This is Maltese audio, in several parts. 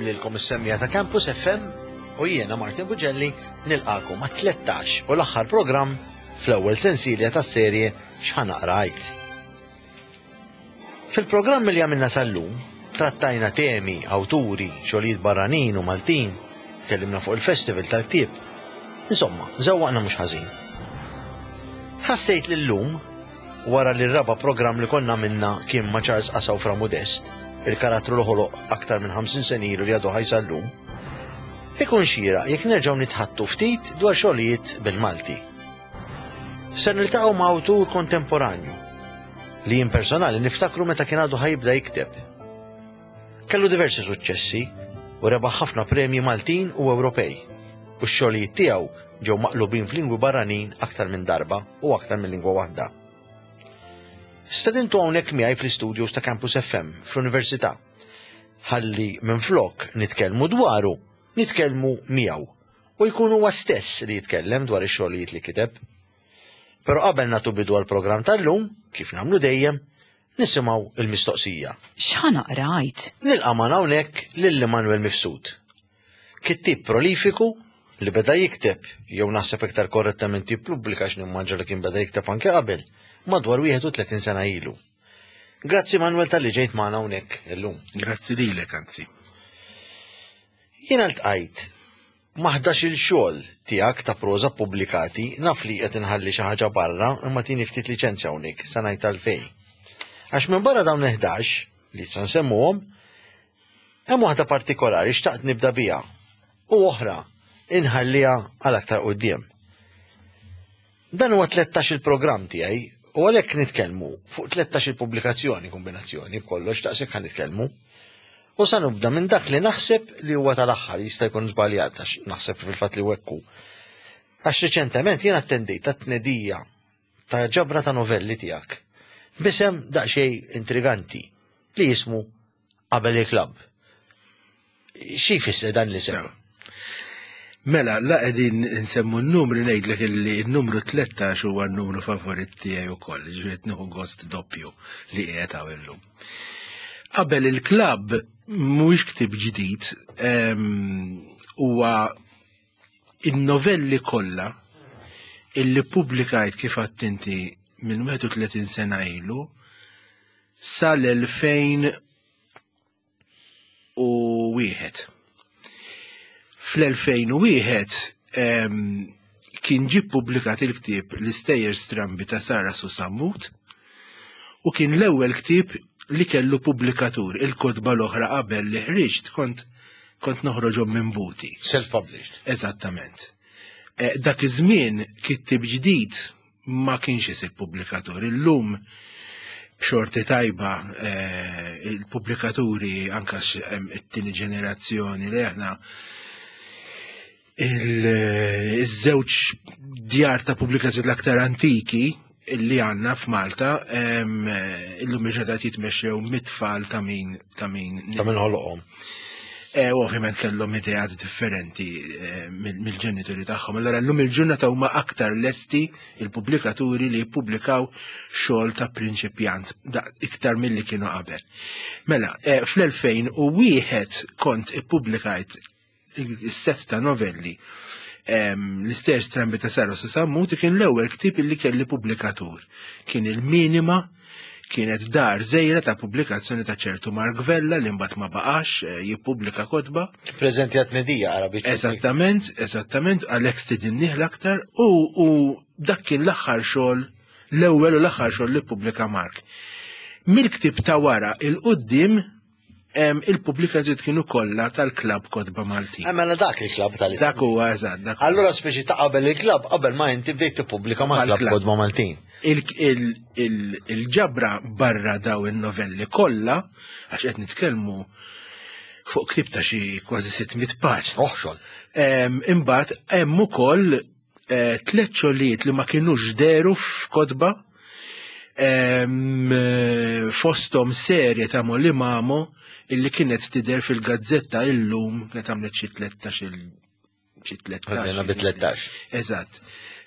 lilkom is-semmiegħa ta' Campus FM u jiena Martin Bugelli nilqakom għat-13 u l-aħħar programm fl-ewwel sensilja tas-serje X'ħa naqra għid. Fil-programm li għamilna sal-lum, trattajna temi, awturi, xogħlijiet barranin u Maltin, tkellimna fuq il-festival tal-ktieb. Insomma, żewwaqna mhux ħażin. Ħassejt li llum, wara li r-raba' programm li konna għamilna kien ma' Charles Qasaw Fra Modest, il-karattru li ħoloq aktar minn 50 sena ilu li għadu ħaj sal-lum, ikun xieraq jekk nerġgħu nitħaddtu ftit dwar xogħlijiet bil-Malti. Ser niltaqgħu ma' awtur kontemporanju li jien personali niftakru meta kien għadu ħajibda jikteb. Kellu diversi suċċessi u rebaħ ħafna premji Maltin u Ewropej u x-xogħlijiet tiegħu ġew maqlubin f'lingwi barranin aktar minn darba u aktar minn lingwa waħda. Stedintu hawnhekk miegħi fl-istudios ta' Campus FM fl-Università. Ħalli minflok nitkellmu dwaru, nitkellmu miegħu u jkun huwa stess li jitkellem dwar ix-xogħlijiet li kiteb. Però qabel nagħtu bidu għall-programm tal-lum, kif nagħmlu dejjem, nisimgħu il-mistoqsija. X'ħa naqra għid? Nilqa' magħna hawnhekk lil Immanuel Mifsud. Kittieb prolifiku li beda jikteb, jew naħseb iktar korrettament jippubblika għax nimmaġina li kien beda jikteb anke qabel, madwar 31 sena ilu. Grazzi Manuel talli ġejt magħna hawnhekk illum. Grazzi lilek anzi. Jiena ltqajt ma' 11-il xogħol tiegħek ta' proża ppubblikati, naf li qed inħalli xi ħaġa barra imma tini ftit liċenzja hawnhekk, sa ngħid għalfejn. Għax minbarra dawn il-ħdax, li issa nsemmuhom, hemm waħda partikolari xtaqt nibda biha u oħra inħalliha għal aktar quddiem. Dan huwa 13 il-programm tiegħi u għalhekk nitkellmu fuq 13 il-pubblikazzjoni kombinazzjoni b'kollox daqshekk ħa nitkellmu. U sa nibda minn dak li naħseb li huwa tal-aħħar jista' jkun żbaljat għax naħseb fil-fatt li hekk hu. Għax riċentement jien attendejt ta' tnedija ta' ġabra ta' novelli tiegħek. Bisem daqsxejn intriganti li jismu Qabel il-klabb. Xi jfisser dan l-isem? Mela, la qegħdin nsemmu n-numri ngħidlek illi n-numru 13 huwa n-numru favorit tiegħi wkoll, ġifieri nieħu gost doppju li qiegħed hawn illum. Qabel il-klabb mhuwiex ktieb ġdid, huwa in-novelli kollha illi pubblikajt kif għadt inti minn 31 sena ilu sal-2001. Fl-2001 kien ġie ppubblikat il-ktieb L-Istejjer Strambi ta' Sara Susammut u kien l-ewwel ktieb li kellu pubblikatur. Il-kotba l-oħra qabel li ħriġt kont kont noħroġhom minn buti. Self-published. Eżattament. Eh, dak iż-żmien kittieb ġdid ma kienx isib pubblikatur. Illum b'xorti tajba eh, il-pubblikaturi anka it-tieni ġenerazzjoni li aħna il-żewġ djar ta' pubblikazzjoni l-aktar antiki li għanna f'Malta illum il-ġedat jitmexxew mit-tfal ta' min ta' min ta' min ħoloqhom. E, u ovvjament kellhom ideat differenti eh, mill-ġenituri tagħhom. Allora llum il-ġurnata huma aktar lesti il-pubblikaturi li jippubblikaw xogħol ta' prinċipjant iktar milli kienu qabel. Mela, eh, fl-2001 kont ippubblikajt is-set ta' novelli l-Istejjer Strambi ta' Sara Sammut kien l-ewwel ktieb illi kelli pubblikatur. Kien il-minima kienet dar żgħira ta' pubblikazzjoni ta' ċertu Mark Vella li mbagħad ma baqax eh, jippubblika kotba. Preżenti għat tnedija qara Eżattament, eżattament, għalhekk stidinnih l-aktar u, u dak kien l-aħħar xogħol l-ewwel u l-aħħar xogħol li ppubblika Mark. Mill-ktieb ta' wara il-qudiem il-pubblikazzjoni kienu kollha tal-klabb Kotba Maltin. Eh, mela dak il-klabb tal Dak huwa eżatt. Dak Allura speċi ta' qabel il-klabb qabel ma inti bdejt tippubblika mal-klabb Kotba Maltin. Il-ġabra barra daw in-novelli kollha, għax qed nitkellmu fuq ktieb ta' xi kważi 600 paġna. Oħxol. Imbagħad hemm ukoll eh, tliet xogħlijiet li ma kinux deru f'kotba eh, fosthom serje ta' Molly Mamo illi kienet tidher fil-gazzetta illum kienet għamlet xi 13 il xi 13. Għadna bi 13. Eżatt.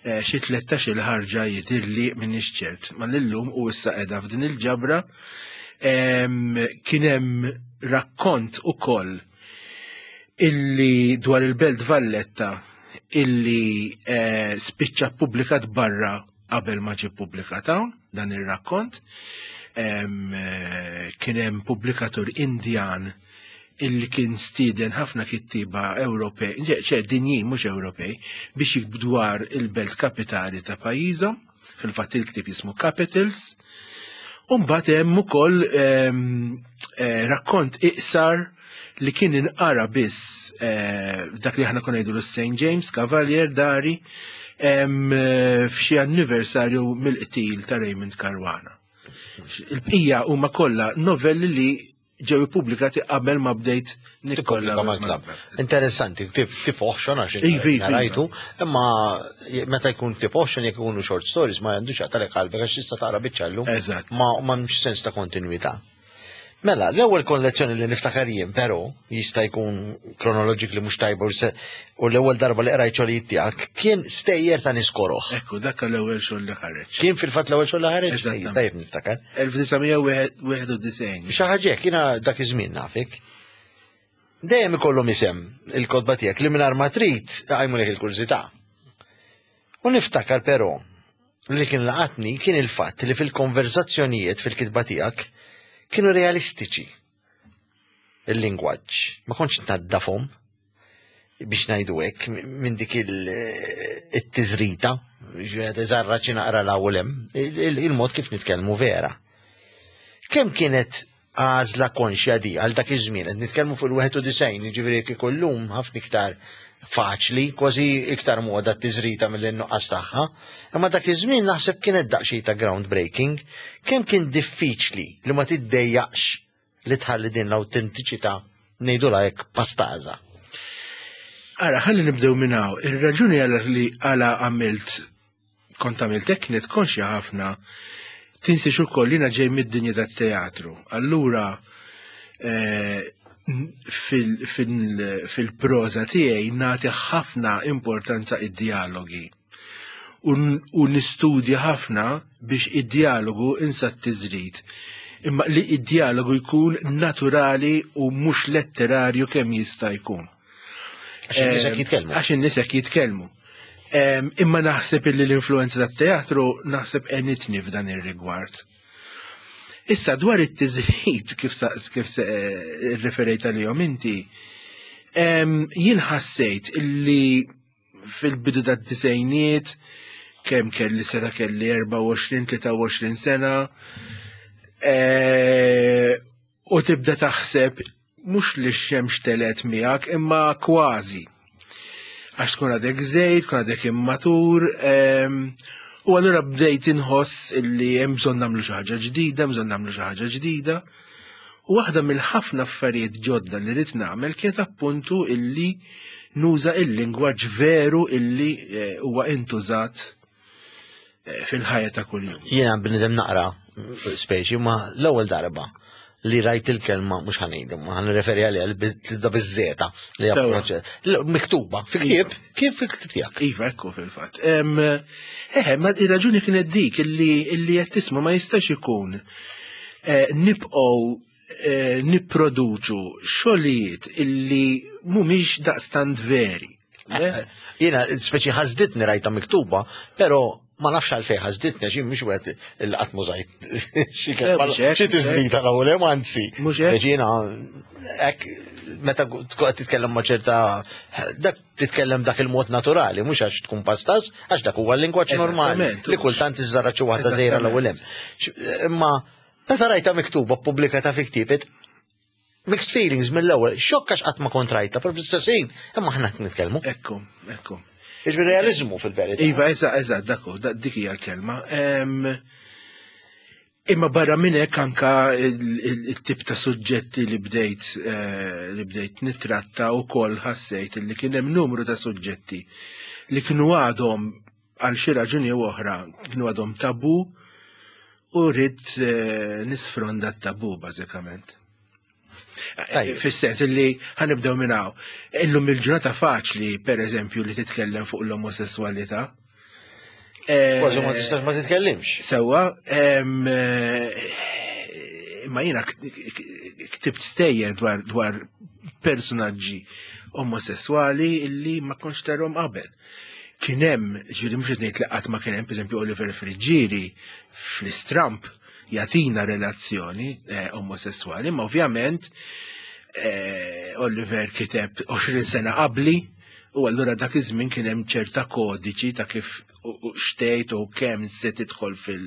Eh, xi 13 il-ħarġa jidhirli minn ċert. Ma l-lum u issa qiegħda f'din il-ġabra kien hemm rakkont ukoll. illi dwar il-Belt Valletta illi eh, spiċċa ppubblikat barra qabel ma ġie ppubblikat hawn dan ir-rakkont. Eh, kien hemm pubblikatur Indjan illi kien stieden ħafna kittiba Ewropej, ċe dinjin mhux Ewropej, biex jiktbu dwar il-belt kapitali ta' pajjiżhom, fil-fatt il-ktieb jismu Capitals. U mbagħad hemm ukoll eh, rakkont iqsar li kien inqara biss eh, dak li aħna konna ngħidu St. James Cavalier dari eh, f'xi anniversarju mill-qtil ta' Raymond Caruana. Il-bqija huma kollha novelli li ġew ippubblikati qabel ma bdejt nikkollabora mal-klabb. Interessanti, tip oħxon għax iva, iva, rajtu, iva. imma meta jkun tip oħxon jekk ikunu short stories ma għandux għatalek qalbek għax tista' taqra biċċa Eżatt. Ma m'hemmx sens ta' kontinwità. Mela, l-ewwel kollezzjoni li niftakar jien, però, jista' jkun kronologically mhux tajba u l-ewwel darba li qrajt xogħlijiet tiegħek kien stejjer ta' nies koroh. Ekku, dak l-ewwel xogħol li ħareġ. Kien fil-fatt l-ewwel xogħol li ħareġ? Tajjeb niftakar. 1991. Xi ħaġa hekk, jiena dak iż-żmien nafik. Dejjem ikollhom isem il-kotba tiegħek li mingħajr ma trid iqajmulek il-kurżità. U niftakar però li kien laqatni kien il-fatt li fil-konverżazzjonijiet fil-kitba tiegħek kienu realistiċi il-lingwaġġ. Ma kontx tnaddafhom biex ngħidu hekk minn dik it-tiżrita, iżarra xi naqra l hawn hemm, il-mod kif nitkellmu vera. Kemm kienet għażla konxja di għal dak iż-żmien, qed nitkellmu fuq il-91, jiġifieri kieku llum ħafna iktar faċli, kważi iktar moda t-tiżrita milli n-nuqqas tagħha. Imma dak iż-żmien naħseb kienet daqsxejn ta' groundbreaking, kemm kien diffiċli li ma tiddejjaqx li tħalli din l-awtentiċità ngħidulha hekk pastaża. Ara, ħalli nibdew minn hawn. Ir-raġuni għala li għala għamilt kont għamilt hekk kienet konxja ħafna tinsiex ukoll jiena ġej mid-dinja tat-teatru. Allura eh, fil-proża tiegħi nagħti ħafna importanza id-dialogi. U nistudja ħafna biex id-dialogu insa t-tiżrid. Imma li id-dialogu jkun naturali u mhux letterarju kemm jista' jkun. Għax in-nies hekk jitkellmu. Għax in-nies hekk jitkellmu. Imma naħseb illi l-influenza tat-teatru naħseb enitni f'dan ir-rigward. Issa dwar it-tiżrid kif kif eh, referejt għalihom inti, jien ħassejt illi fil-bidu tad-disejniet kemm kelli sena kelli 24-23 sena eh, u tibda taħseb mhux li x-xemx telgħet miegħek imma kważi. Għax tkun għadek żejt, tkun għadek immatur, ehm, u allura bdejt inħoss illi hemm bżonn nagħmlu xi ħaġa ġdida, hemm bżonn nagħmlu xi ħaġa ġdida. U waħda mill-ħafna affarijiet ġodda li rrid nagħmel kienet appuntu illi nuża il-lingwaġġ veru illi eh, huwa intużat eh, fil-ħajja ta' kuljum. Jiena bnidem naqra speċi, ma l-ewwel darba li rajt il-kelma mhux ħanejdu, ma ħanreferi għaliha li tibda biż-żeta li hija miktuba fi ktieb, iva. kif fi ktieb tiegħek. Iva, ekku fil-fatt. Eħe, ma ir-raġuni kienet dik illi qed tisma' ma jistax ikun eh, nibqgħu eh, nipproduċu xogħlijiet illi mhumiex daqstant veri. Jiena speċi ħażditni rajta miktuba, però ma nafx għalfejn ħażditni għax mhux wieħed il qatt mużajt xi kelma xi tiżdita l-ewwel hemm anzi. Jiena hekk meta tkun titkellem ma' ċerta dak titkellem dak il-mod naturali, mhux għax tkun pastas, għax dak huwa l-lingwaġġ normali li kultant iżżarra xi waħda żejra l-ewwel hemm. Imma meta rajta miktuba ppubblikata fi ktieb Mixed feelings mill-ewwel, xokk għax qatt ma kont rajta, però fl-istess ħin, imma aħna qed nitkellmu. Ekku, ekku. Jiġifieri realiżmu fil-verità. Iva, eżatt, eżatt, dak hu, dik hija l-kelma. Imma barra minn hekk anka il-tip ta' suġġetti li bdejt eh, li bdejt nitratta wkoll ħassejt li kien hemm numru ta' suġġetti li kienu għadhom għal xi raġuni jew oħra kienu għadhom tabu u rrid eh, nisfronda t-tabu bażikament. Eh, fis-sens li ħanibdew minn hawn. Illum il-ġurnata faċli, per eżempju, li titkellem fuq l-omosessualità. Eh, Kważi ma tistax ma titkellimx. Sewwa, ma jiena ktibt stejjer dwar, dwar personaġġi omosessuali illi ma kontx tarhom qabel. Kien hemm, ġifieri mhux qed ngħid li qatt ma kien hemm, pereżempju Oliver Friggieri fl-Istramp jagħtina relazzjoni eh, omosessuali, ma ovvjament eh, Oliver kiteb 20 sena qabli u allura dak iż-żmien kien hemm ċerta kodiċi ta' kif xtejt u kemm se tidħol fil.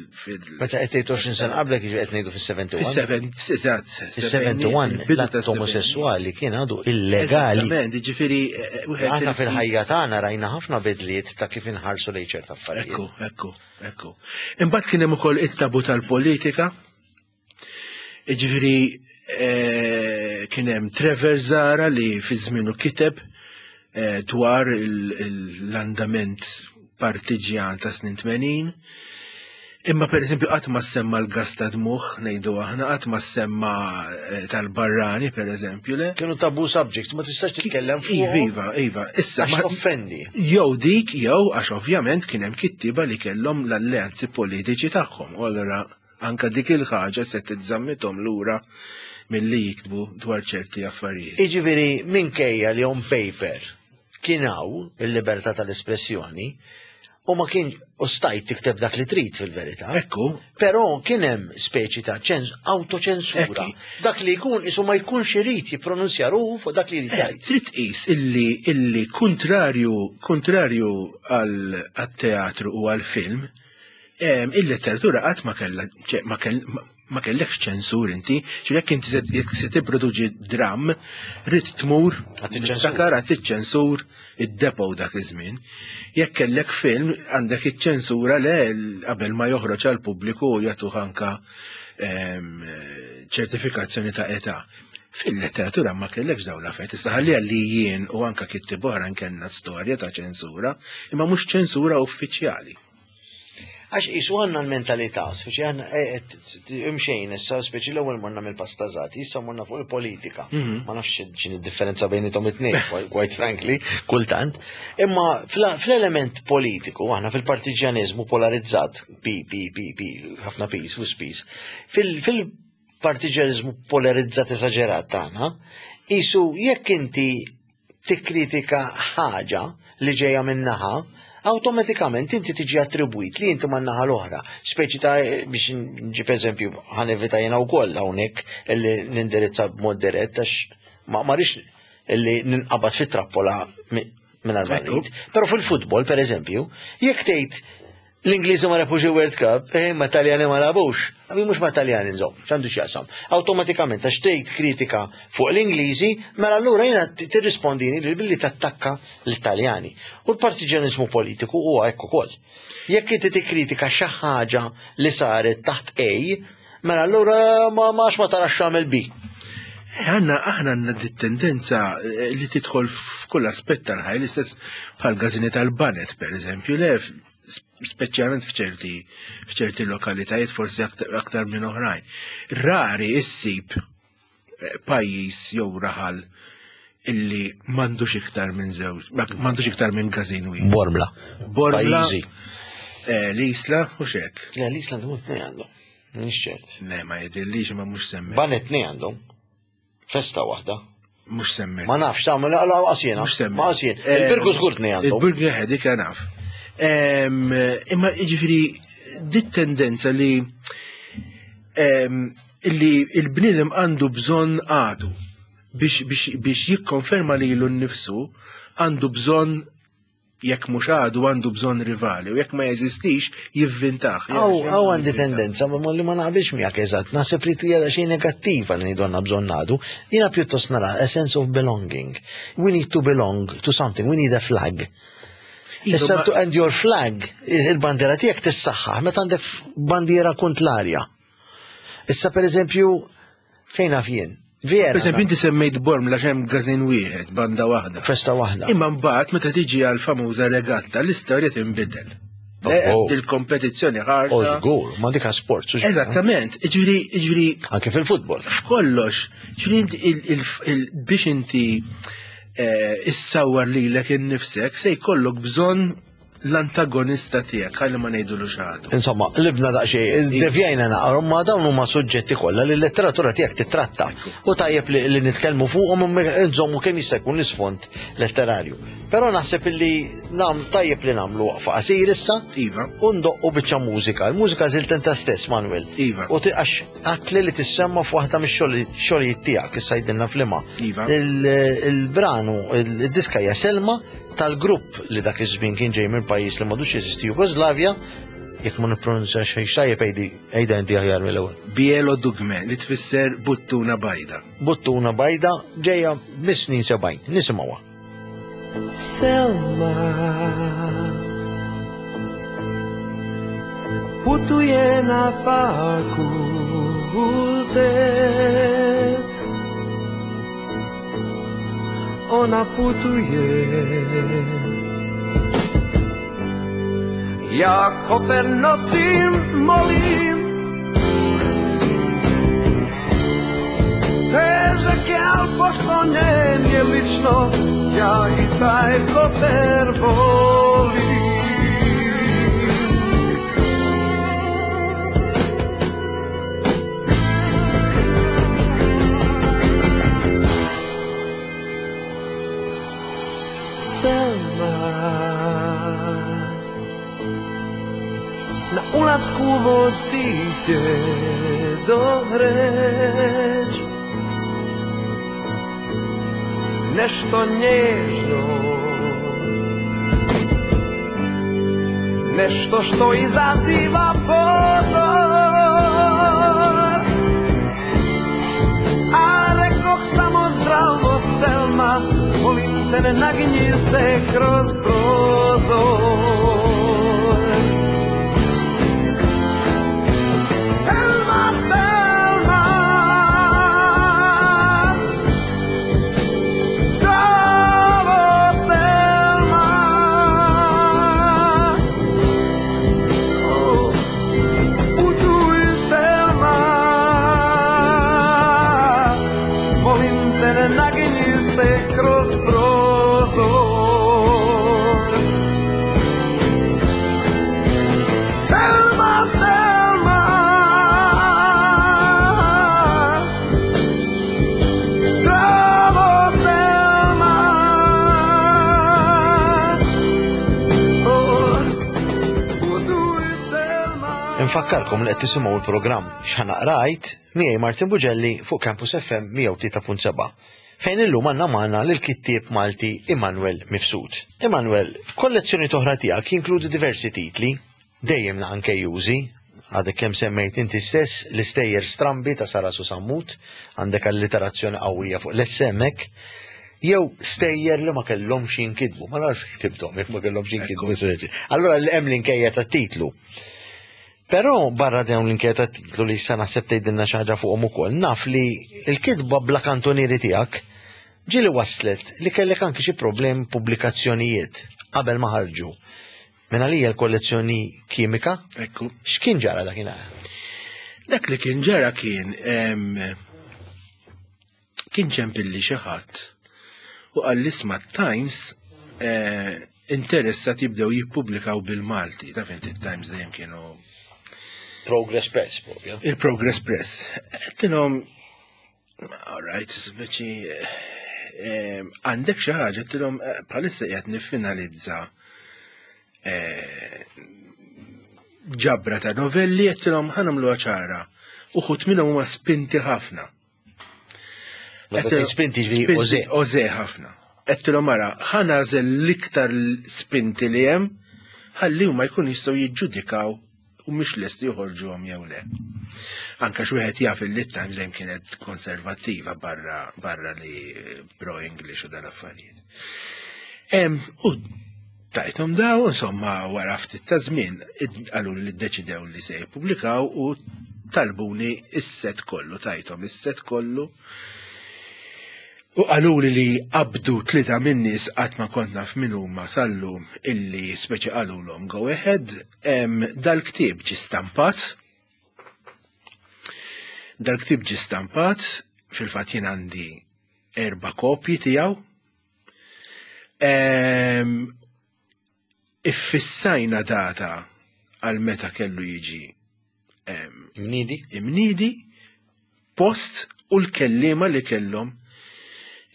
Meta qed tgħid 20 sena qablek jiġi qed ngħidu fis-71. Fis-71, Fis-71 l-att omosessuali kien għadu illegali. Eżattament, jiġifieri eh, eh, Aħna fil-ħajja tagħna rajna ħafna bidliet ta' kif inħarsu lejn ċerta affarijiet. Ekku, ekku, ekku. Imbagħad kien hemm ukoll it-tabu tal-politika. Jiġifieri eh, kien hemm Trevor Zara li fi żmienu kiteb dwar l-andament partiġjan ta' snin 80. Imma per eżempju qatt ma semma l-gas ta' dmuħ ngħidu aħna, qatt ma semma eh, tal-barrani per eżempju, le? Kienu tabu subjects, ma tistax titkellem fuq. Iva, iva, iva. Issa ma offendi. Jew dik, jew għax ovvjament kien hemm kittiba li kellhom l-alleanzi politiċi tagħhom. U allura anka dik il-ħaġa se tiżżammithom lura milli jiktbu dwar ċerti affarijiet. Iġifieri minkejja li on paper kien hawn il-libertà tal-espressjoni u ma kien u stajt tikteb dak li trid fil-verità. Ekku. Però kien hemm speċi ta' autoċensura. Dak li jkun isu ma jkunx irid jippronunzja ruħu fuq dak li jrid eh, jgħid. Trid tqis illi illi kontrarju kontrarju għal teatru u għal film, il-letteratura qatt ma kellha ma ma kellekx ċensur inti, ċu jekk inti jekk se tipproduċi dram, rrid tmur niftakar għat iċ-ċensur id-depo dak iż-żmien. Jekk kellek film għandek iċ-ċensura le qabel ma joħroġ għal pubbliku u jagħtuh anka ehm, ċertifikazzjoni ta' età. Fil-letteratura ma kellekx dawn l-affarijiet. Issa ħalliha li jien u anka kittieb oħra kellna storja ta' ċensura, imma mhux ċensura uffiċjali. Għax qisu għandna l-mentalità, speċi għandna eh, eh, imxejn issa, speċi l-ewwel morna mill-pastażati, issa morna fuq il-politika. Mhm. Ma nafx x'in id-differenza bejnietom it-tnejn, quite frankly, kultant. Imma fl-element politiku, aħna fil-partiġjaniżmu polarizzat, P, P, P, P, ħafna P's u spis, fil-partiġjaniżmu polarizzat esaġerat tagħna, qisu jekk inti tikkritika ħaġa li ġejja minn naħa, awtomatikament inti tiġi attribwit li inti man-naħa l-oħra. Speċi ta' biex nġib eżempju ħa nevita jiena wkoll hawnhekk li nindirizza b'mod dirett għax ma rridx li ninqabad fit-trappola mingħajr ma rrid. Però fil-futbol, per eżempju, jekk tgħid L-Ingliżi ma rebħux il-World Cup, eh, ma Taljani ma labux. Għabi mhux ma Taljani nżomm, x'għandu x'jaqsam. Awtomatikament għax tgħid kritika fuq l-Ingliżi, mela allura jiena tirrispondini li billi tattakka l-Taljani. U l-partiġjaniżmu politiku huwa hekk ukoll. Jekk inti tikkritika xi ħaġa li saret taħt A, mela allura ma ma ma tarax x'għamel B. Eh, għanna, aħna għanna dit tendenza eh, li tidħol f'kull aspett tal-ħaj, l-istess bħal gazini tal-banet, per eżempju, le speċjalment f'ċerti f'ċerti lokalitajiet forsi aktar minn oħrajn. Rari issib eh, pajjiż jew raħal illi m'għandux iktar minn żewġ, m'għandux iktar minn każin wieħed. Bormla. Bormla. Eh, l-Isla u xek. Le, l-Isla għandhom tnej għandhom. Mhix ċert. Le, ma jidhirlix ma mhux semmi. Banet tnej għandhom. Festa waħda. Mhux semmi. Ma nafx, ta' ma laqas jiena. Mhux semmi. Ma qas jien. Eh, Il-Birgu żgur tnej għandhom. Il-Birgu eh, dik naf. Imma jiġifieri dit tendenza li li il-bniedem għandu bżonn għadu biex, biex, biex jikkonferma lilu nnifsu għandu bżonn jekk mhux għadu għandu bżonn rivali u jekk ma jeżistix jivvintah. Aw għandi tendenza ma li ma naqbilx miegħek eżatt, naħseb li hija xejn negattiva li ngħidu għandna bżonn għadu. Jiena pjuttost nara a sense of belonging. We need to belong to something, we need a flag. Iva, Issa to and your flag, il-bandiera tiegħek tissaħħaħ meta għandek bandiera kontlarja. Issa per eżempju, Fejn naf jien? Vera. Per eżempju, inti semmejt Borm għax hemm gazin wieħed, banda waħda. Festa waħda. Imma mbagħad meta tiġi għal famuża regatta, l-istorja tinbidel. Oh. Il-kompetizzjoni ħarxa. Oh, żgur, ma dik sport. Eżattament, ġifieri ġifieri. Anke fil-futbol. F'kollox, ġifieri biex inti eh, issawwar lilek innifsek se jkollok bżonn l-antagonista tiegħek ħalli ma ngħidulu x'għadu. Insomma, libna daqsxejn, devjajna naqra, ma dawn huma suġġetti kollha li l-letteratura tiegħek titratta. U tajjeb li nitkellmu fuqhom nżommu kemm jista' jkun l-isfond letterarju. Però naħseb illi nam tajjeb li nagħmlu waqfa qasir issa. Iva. U ndoqqu biċċa mużika. Il-mużika żilt inta stess, Manuel. Iva. U għax għatli li tissemma f'waħda mix-xogħlijiet tiegħek issa jidilna flima. Iva. Il-branu, il-diska hija Selma tal-grupp li dak iż-żmien kien ġej minn pajjiż li m'għadux jeżisti Jugoslavja, jekk ma nippronunzja xejn tajjeb għidi għidha inti aħjar mill-ewwel. Bielo Dugme li tfisser buttuna bajda. Buttuna bajda ġejja mis-snin 70. Nisimgħuha. Selma Putuje na fakultet Ona putuje Ja kofer nosim, molim Težak je, al pošto njem je lično Ja i taj kofer volim Selma Na ulasku vozite do reč Nešto nježno Nešto što izaziva pozor A rekoh samo zdravo Selma Molim te ne naginji se kroz prozor Selma, Selma Zdravo Selma Oh, putuj Selma Molim te ne naginji se kroz prozor Selma, Selma Zdravo Selma Oh, putuj Selma Infakkarkom li qed tisimgħu l-programm X'Ħa Rajt miegħi Martin Bugelli fuq Campus FM 103.7 fejn illum għandna magħna lill-kittieb Malti Immanuel Mifsud. Immanuel, kollezzjoni toħra tiegħek jinkludi diversi titli, dejjem anke jużi, għadek kemm semmejt inti stess l-istejjer strambi ta' Sara Susammut, għandek alliterazzjoni qawwija fuq l-essemek, jew stejjer li ma kellhomx jinkitbu, ma nafx ktibthom jekk ma kellhomx jinkitbu. Allura li hemm l-inkejja tat-titlu. Però barra dawn l-inkejja tat-titlu li issa naħseb tgħidilna xi ħaġa fuqhom ukoll, naf li l-kitba bla kantonieri tiegħek ġieli waslet li kellek anki xi problem pubblikazzjonijiet qabel ma ħarġu. Minn għalija l-kollezzjoni kimika, Ekku. x'kien ġara dakinhar? Dak li kien ġara kien kien ċempilli xi ħadd u qal li isma' Times interessat jibdew jippubblikaw bil-Malti. Taf inti Times dejjem kienu Progress Press, proprio. il-Progress Press. Għedtilhom, all right, speċi għandek xi ħaġa, għedtilhom bħalissa qiegħed niffinalizza ġabra ta' novelli, għedtilhom ħa nagħmluha ċara. Uħud minnhom huma spinti ħafna. Meta tgħid spinti ġifieri ożè. Ożè ħafna. Għedtilhom ara, ħa nagħżel l-iktar spinti li hemm, ħalli huma jkun jistgħu jiġġudikaw u mhux lesti joħorġuhom jew le. Anka xi wieħed jaf li Times dejjem kienet konservattiva barra li pro English u dal-affarijiet. U tajthom daw, insomma, wara ftit ta' żmien qalu li ddeċidew li se jippubblikaw u talbuni is-set kollu, tajthom is-set kollu. U qalu li qabdu tlieta min-nies qatt ma kont naf min huma sallum illi speċi qalulhom go ahead, dal-ktieb ġie stampat. Dal-ktieb ġie stampat, fil-fatt jien għandi 4 kopji tiegħu. Iffissajna data għal meta kellu jiġi Mnidi? Imnidi, post u l-kellima li kellhom.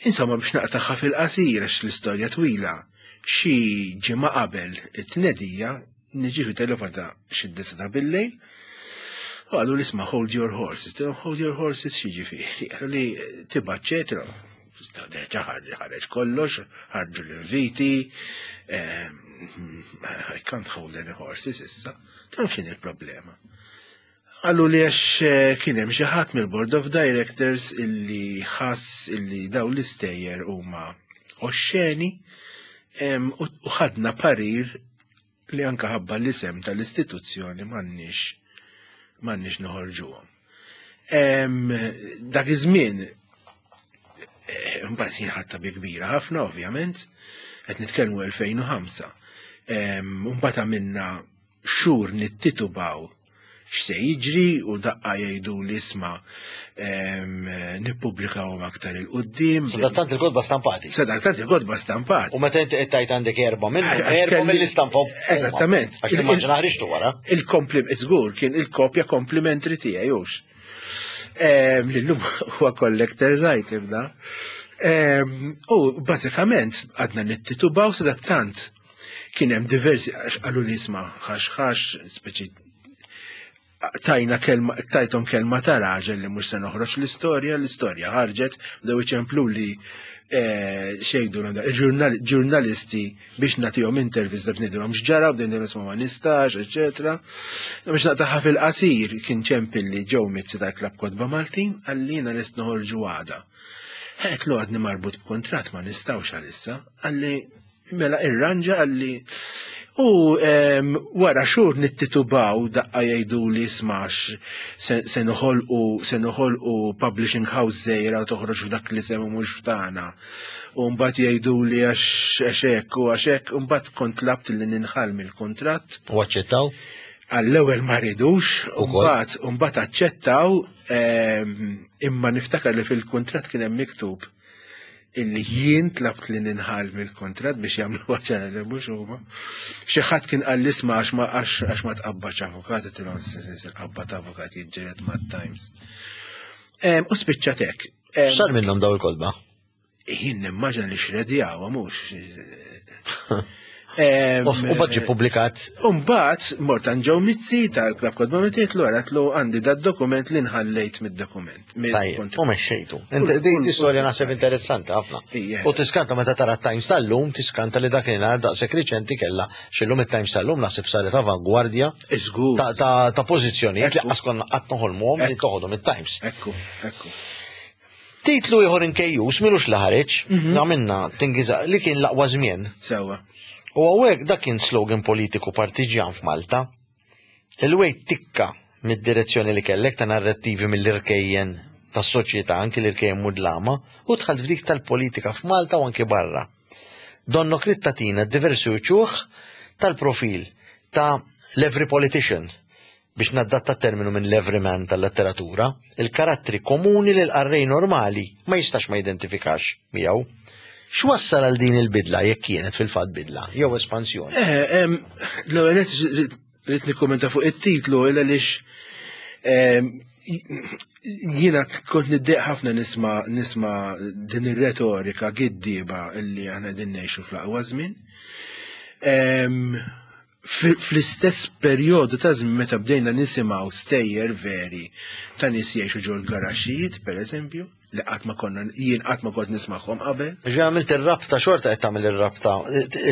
Insomma biex naqtaħħa fil-qasir għax l-istorja twila, xi ġimgħa qabel it-tnedija niġi fi telefonata xi disa ta' billejl u qalu li isma' hold your horses. Hold your horses x'jiġifieri? Qalu li tibgħat ċetra. Deġa ħareġ kollox, ħarġu l-inviti, I can't hold any horses issa. Dan x'inhi il-problema? Qalu li għax kien hemm xi ħadd mill-Board of Directors illi ħass illi daw l-istejjer huma oxxeni u ħadna parir li anka ħabba l-isem tal-istituzzjoni m'għandniex m'għandniex noħorġuhom. Dak iż-żmien eh, mbagħad jien ħadta bi kbira ħafna ovvjament, qed nitkellmu 2005. Mbagħad għamilna xhur nittitubaw x'se jiġri u daqqa jgħidu li isma' nippubblikawhom aktar 'il quddiem. Sadattant il-kotba stampati. Sadattant il-kotba stampati. U meta inti qed tgħid għandek erba' minnhom, erba' mill-istampa. Eżattament. Għax nimmaġina ħriġtu wara. Il-komplim, żgur kien il-kopja komplimentri tiegħi hux. Lillum huwa collector's item da. U bażikament għadna nittitubaw sadattant Kien hemm diversi għax qalu li isma' ħax ħax, speċi tajna kelma, tajthom kelma ta' raġel li mhux se noħroġ l-istorja, l-istorja ħarġet, bdew iċemplu li eh, xejdu il-ġurnalisti biex nagħtihom intervista biex ngħidulhom x'ġara, bdejn nisma' ma nistax, eċetera. Biex naqtaħħa fil-qasir kien ċempilli ġew Mizzi tal-Klabb Kotba Maltin għallina lest noħorġu għada. Għedtlu għadni marbut b'kuntratt ma nistgħux għalissa, għalli Mela irranġa għalli u wara xhur nittitubaw daqqa jgħidu li smax se noħolqu se noħolqu publishing house żgħira u toħroġ f'dak li semu mhux f'tagħna. U mbagħad jgħidu li għax hekk u għax hekk u mbagħad kont labt li ninħall mill-kuntratt. U aċċettaw? Għall-ewwel ma ridux, u mbagħad u mbagħad aċċettaw imma niftakar li fil-kuntratt kien hemm miktub illi jien tlabt li ninħal mill-kuntratt biex jagħmlu ċara li mhux huma. Xi ħadd kien qal isma' għax ma għax ma tqabbadx avukat, tilhom il-qabba ta' avukat jiġġieled mat-Times. U spiċċat hekk. X'sar minnhom daw il-kotba? Jien nimmaġina li xredjawa mhux. U mbagħad ġie ppubblikat. U mbagħad mort għand Joe Mizzi tal-Klabb Kotba Mitiet l għatlu għandi dad dokument li nħallejt mid-dokument. Tajjeb, u mexxejtu. Din istorja naħseb interessanti ħafna. U tiskanta meta tara t-Times tal-lum, tiskanta li dakinhar daqshekk riċenti kellha x'illum it-Times tal-lum naħseb saret avangwardja ta' pożizzjonijiet li qas konna qatt noħolmuhom li toħodhom it-Times. Ekku, ekku. Titlu ieħor inkejjus milux li ħareġ, mhm. għamilna tingiża li kien l-aqwa żmien. Sewa. U hawnhekk dak kien slogan politiku partiġjan f'Malta. Il-wejt tikka mid-direzzjoni li kellek ta' narrattivi mill-irkejjen tas-soċjetà anki l-irkejjen mudlama u dħalt f'dik tal-politika f'Malta u anki barra. Donnok ridt tagħtina diversi uċuħ tal-profil ta' l-every politician biex naddatta t-terminu minn l-everyman tal-letteratura, il-karattri komuni li l-qarrej normali ma jistax ma jidentifikax miegħu. X'wassal għal din il-bidla jekk kienet fil-fatt bidla jew espansjoni? Eh, l-ewwel rrid nikkummenta fuq it-titlu illa għaliex jiena kont niddeq ħafna nisma' nisma' din ir-retorika giddieba illi aħna qegħdin ngħixu fl-aqwa żmien. Fl-istess perjodu ta' żmien meta bdejna nisimgħu stejjer veri ta' nies jgħixu ġol garaxxijiet, pereżempju, li qatt ma konna jien qatt ma kont nismagħhom qabel. Ġi għamilt ir-rabta xorta qed tagħmel ir-rabta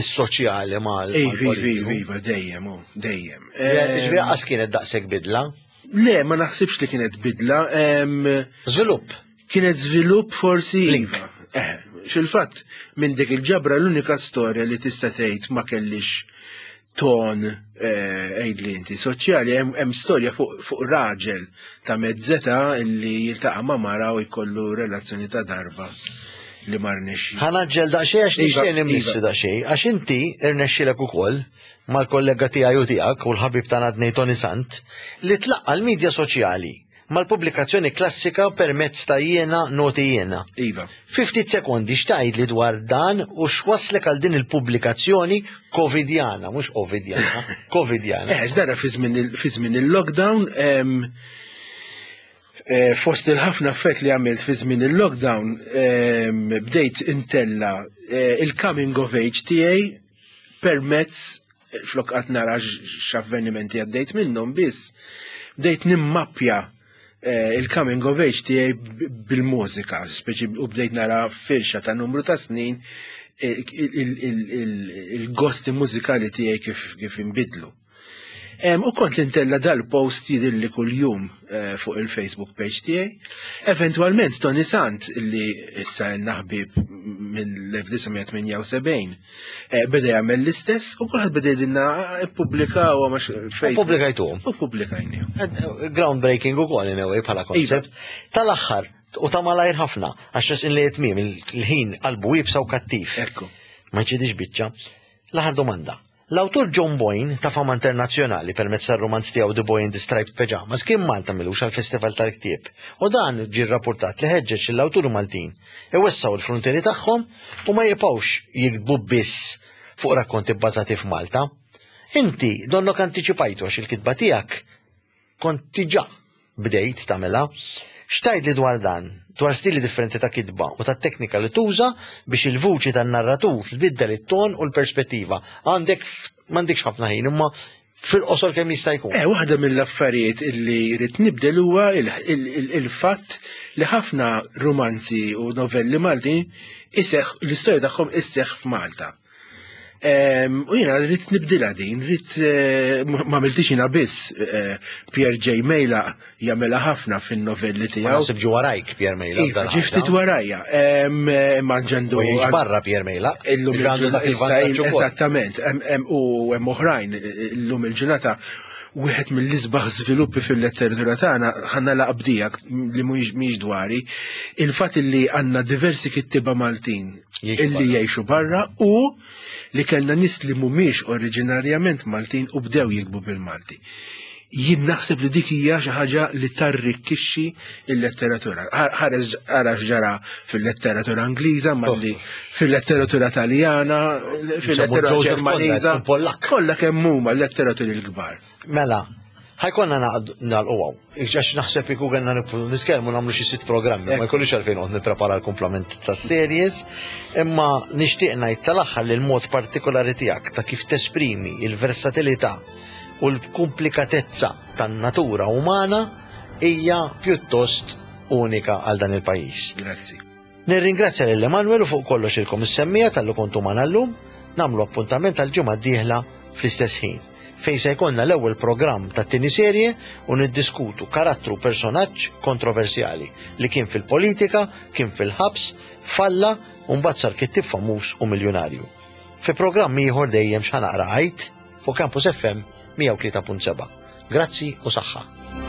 is-soċjali mal. Iva, iva, iva, dejjem, dejjem. Ġifieri qas kienet daqshekk bidla? Le, ma naħsibx li kienet bidla. Żvilupp. Kienet żvilupp forsi. Iva. Eh, fil-fatt, minn dik il-ġabra l-unika storja li tista' tgħid ma kellix ton eh, għidli inti soċjali hemm storja fuq fu raġel ta' mezzeta li jiltaqa' ma' mara u jkollu relazzjoni ta' darba li ma rnexxi. Ħanaġġel daqsxejn għax iva, nixtieq nimmissu iva. daqsxejn għax inti irnexxilek ukoll mal-kollega tiegħi u tiegħek u l-ħabib tagħna Tony Sant li tlaqqa l-medja soċjali. mal-pubblikazzjoni klassika permezz ta' Jiena Noti Jiena. Iva. Fi ftit sekondi x'tgħidli dwar dan u x'wasslek għal din il-pubblikazzjoni Covidjana, mhux Ovidjana, Covidjana. Eh, x'dara fi żmien il-lockdown, eh, fost il-ħafna affett li għamilt fi żmien il-lockdown, bdejt intella eh, il-coming of age tiegħi permezz flok qatt nara x'avvenimenti għaddejt minnhom biss, bdejt nimmappja eh, il-coming of age tiegħi bil-mużika, speċi u bdejt nara firxa ta' numru ta' snin eh, il-gosti mużikali tiegħi kif inbidlu. U kont intella dal-post jidilli kull-jum eh, fuq il-Facebook page tiegħi. Eventwalment Tony Sant li issa naħbib minn l-1978 eh, beda jagħmel l-istess u kulħadd beda jgħidilna ippubblikaw għax Facebook. Pubblikajtuhom. U pubblikajnihom. Eh, groundbreaking ukoll in a way bħala Iva. koncept. Tal-aħħar u ta' malajr ħafna għax resqin li tmiem il-ħin qalbu iebsa u kattiv. Ekku. Ma ġidix biċċa. L-aħħar domanda. L-awtur John Boyne ta' fama internazzjonali permezz tar-rumanz tiegħu The Boy in the Striped Pyjamas kien Malta m'ilux għall-Festival tal-Ktieb u dan ġie rrappurtat li ħeġġeġ lill-awturi Maltin iwessgħu l-fruntieri tagħhom u ma jibqgħux jiktbu biss fuq rakkonti bbażati f'Malta. Inti donnok antiċipajtu għax il-kitba tiegħek kont diġà bdejt tagħmilha. X'tgħidli dwar dan? Dwar stili differenti ta' kitba u tat-teknika li tuża biex il-vuċi tan-narratur tbiddel it-ton u l-perspettiva. Għandek m'għandekx ħafna ħin imma fil-qosor kemm jista' jkun. Eh, waħda mill-affarijiet illi rrid nibdel huwa il-fatt li ħafna rumanzi u novelli Maltin iseħħ l-istorja tagħhom isseħħ f'Malta. U jiena rrid nibdilha din, rrid eh, ma għamiltix jiena biss eh, Pierre J. Mejla jagħmilha ħafna fin-novelli tiegħu. Naħseb ġi warajk Pierre Mejla. Iva, ġi ftit warajja. Imma ġendu. Barra Pierre Mejla. Illum għandu dak il-vantaġġ. Eżattament, u hemm oħrajn illum il-ġurnata wieħed mill-isbaħ żviluppi fil-letteratura tagħna ħanna laqbdijak li mhijiex dwari, il-fatt li għandna diversi kittiba Maltin illi jgħixu barra u li kellna nies li mhumiex oriġinarjament Maltin u bdew jikbu bil-Malti. Jien naħseb li dik hija xi ħaġa li tarrikkixxi l-letteratura. Ħares ara x'ġara fil-letteratura Ingliża, malli oh. fil-letteratura Taljana, fil-letteratura Ġermaniża. Kollha kemm huma l-letteraturi l-kbar. Mela, ħajkonna nagħlqu hawn. Għax naħseb iku għanna nitkellmu nagħmlu xi sitt programmi, ma jkollix għalfejn noqgħod nipprepara l-kumplament tas-series, imma nixtieq ngħid tal-aħħar li l-mod partikolari tiegħek ta' kif tesprimi il-versatilità u l-komplikatezza tan-natura umana hija pjuttost unika għal dan il-pajjiż. Grazzi. Nirringrazzja lil Emanuel u fuq kollox ilkom is-semmiegħa talli kontu magħna llum. Nagħmlu appuntament għall-ġimgħa d-dieħla fl-istess ħin, fejn se jkollna l-ewwel programm tat-tieni serje u niddiskutu karattru personaġġ kontroversjali li kien fil-politika, kien fil-ħabs, falla u mbagħad sar kittieb famuż u miljunarju. Fi programm ieħor dejjem x'ħa naqra għid fuq Campus FM 103.7. Grazzi u saħħa.